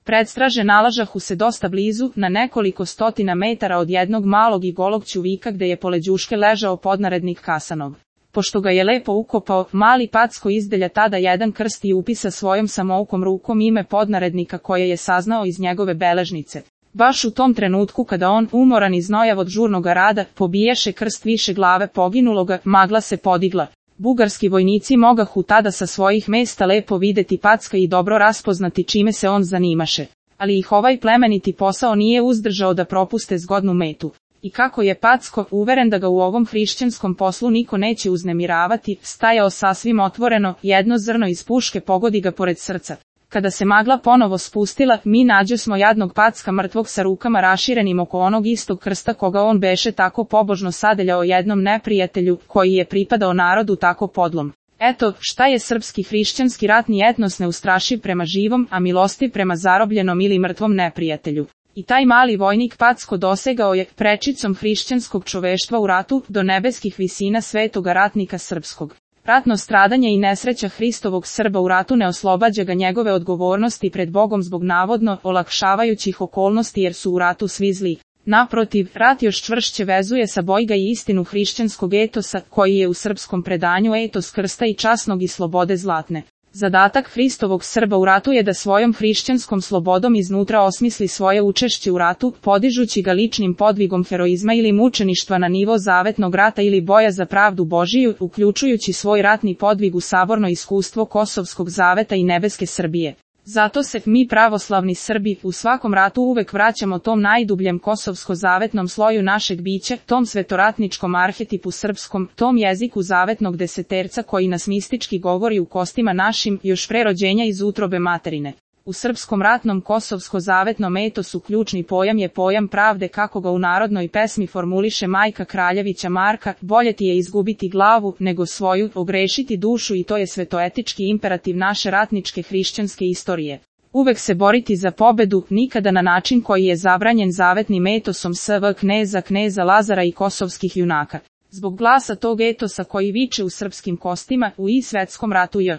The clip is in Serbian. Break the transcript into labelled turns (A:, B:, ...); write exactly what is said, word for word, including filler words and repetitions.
A: Predstraže nalažahu se dosta blizu, na nekoliko stotina metara od jednog malog i golog ćuvika gde je pored đuške ležao podnarednik Kasanov. Pošto ga je lepo ukopao, mali Packo izdelja tada jedan krst i upisa svojom samoukom rukom ime podnarednika koje je saznao iz njegove beležnice. Baš u tom trenutku kada on, umoran i znojav od žurnoga rada, pobiješe krst više glave poginuloga, magla se podigla. Bugarski vojnici mogahu tada sa svojih mesta lepo videti Packa i dobro raspoznati čime se on zanimaše. Ali ih ovaj plemeniti posao nije uzdržao da propuste zgodnu metu. I kako je Packo, uveren da ga u ovom hrišćanskom poslu niko neće uznemiravati, stajao sasvim otvoreno, jedno zrno iz puške pogodi ga pored srca. Kada se magla ponovo spustila, mi nađosmo jadnog Packa mrtvog sa rukama raširenim oko onog istog krsta koga on beše tako pobožno sadeljao jednom neprijatelju, koji je pripadao narodu tako podlom. Eto, šta je srpski hrišćanski ratni etnos neustrašiv prema živom, a milostiv prema zarobljenom ili mrtvom neprijatelju. I taj mali vojnik Packo dosegao je, prečicom hrišćanskog čoveštva u ratu, do nebeskih visina svetoga ratnika srpskog. Ratno stradanje i nesreća Hristovog Srba u ratu ne oslobađa ga njegove odgovornosti pred Bogom zbog navodno olakšavajućih okolnosti jer su u ratu svi zli. Naprotiv, rat još čvršće vezuje sa bojga i istinu hrišćanskog etosa, koji je u srpskom predanju etos krsta i časnog i slobode zlatne. Zadatak Hristovog Srba u ratu je da svojom hrišćanskom slobodom iznutra osmisli svoje učešće u ratu, podižući ga ličnim podvigom heroizma ili mučeništva na nivo zavetnog rata ili boja za pravdu Božiju, uključujući svoj ratni podvig u saborno iskustvo Kosovskog zaveta i nebeske Srbije. Zato se mi pravoslavni Srbi u svakom ratu uvek vraćamo tom najdubljem kosovsko-zavetnom sloju našeg bića, tom svetoratničkom arhetipu srpskom, tom jeziku zavetnog deseterca koji nas mistički govori u kostima našim, još pre rođenja iz utrobe materine. U srpskom ratnom kosovsko-zavetnom etosu ključni pojam je pojam pravde kako ga u narodnoj pesmi formuliše majka Kraljevića Marka, bolje ti je izgubiti glavu, nego svoju, ogrešiti dušu i to je svetoetički imperativ naše ratničke hrišćanske istorije. Uvek se boriti za pobedu, nikada na način koji je zabranjen zavetnim etosom S V kneza kneza Lazara i kosovskih junaka. Zbog glasa tog etosa koji viče u srpskim kostima, u i svetskom ratu J.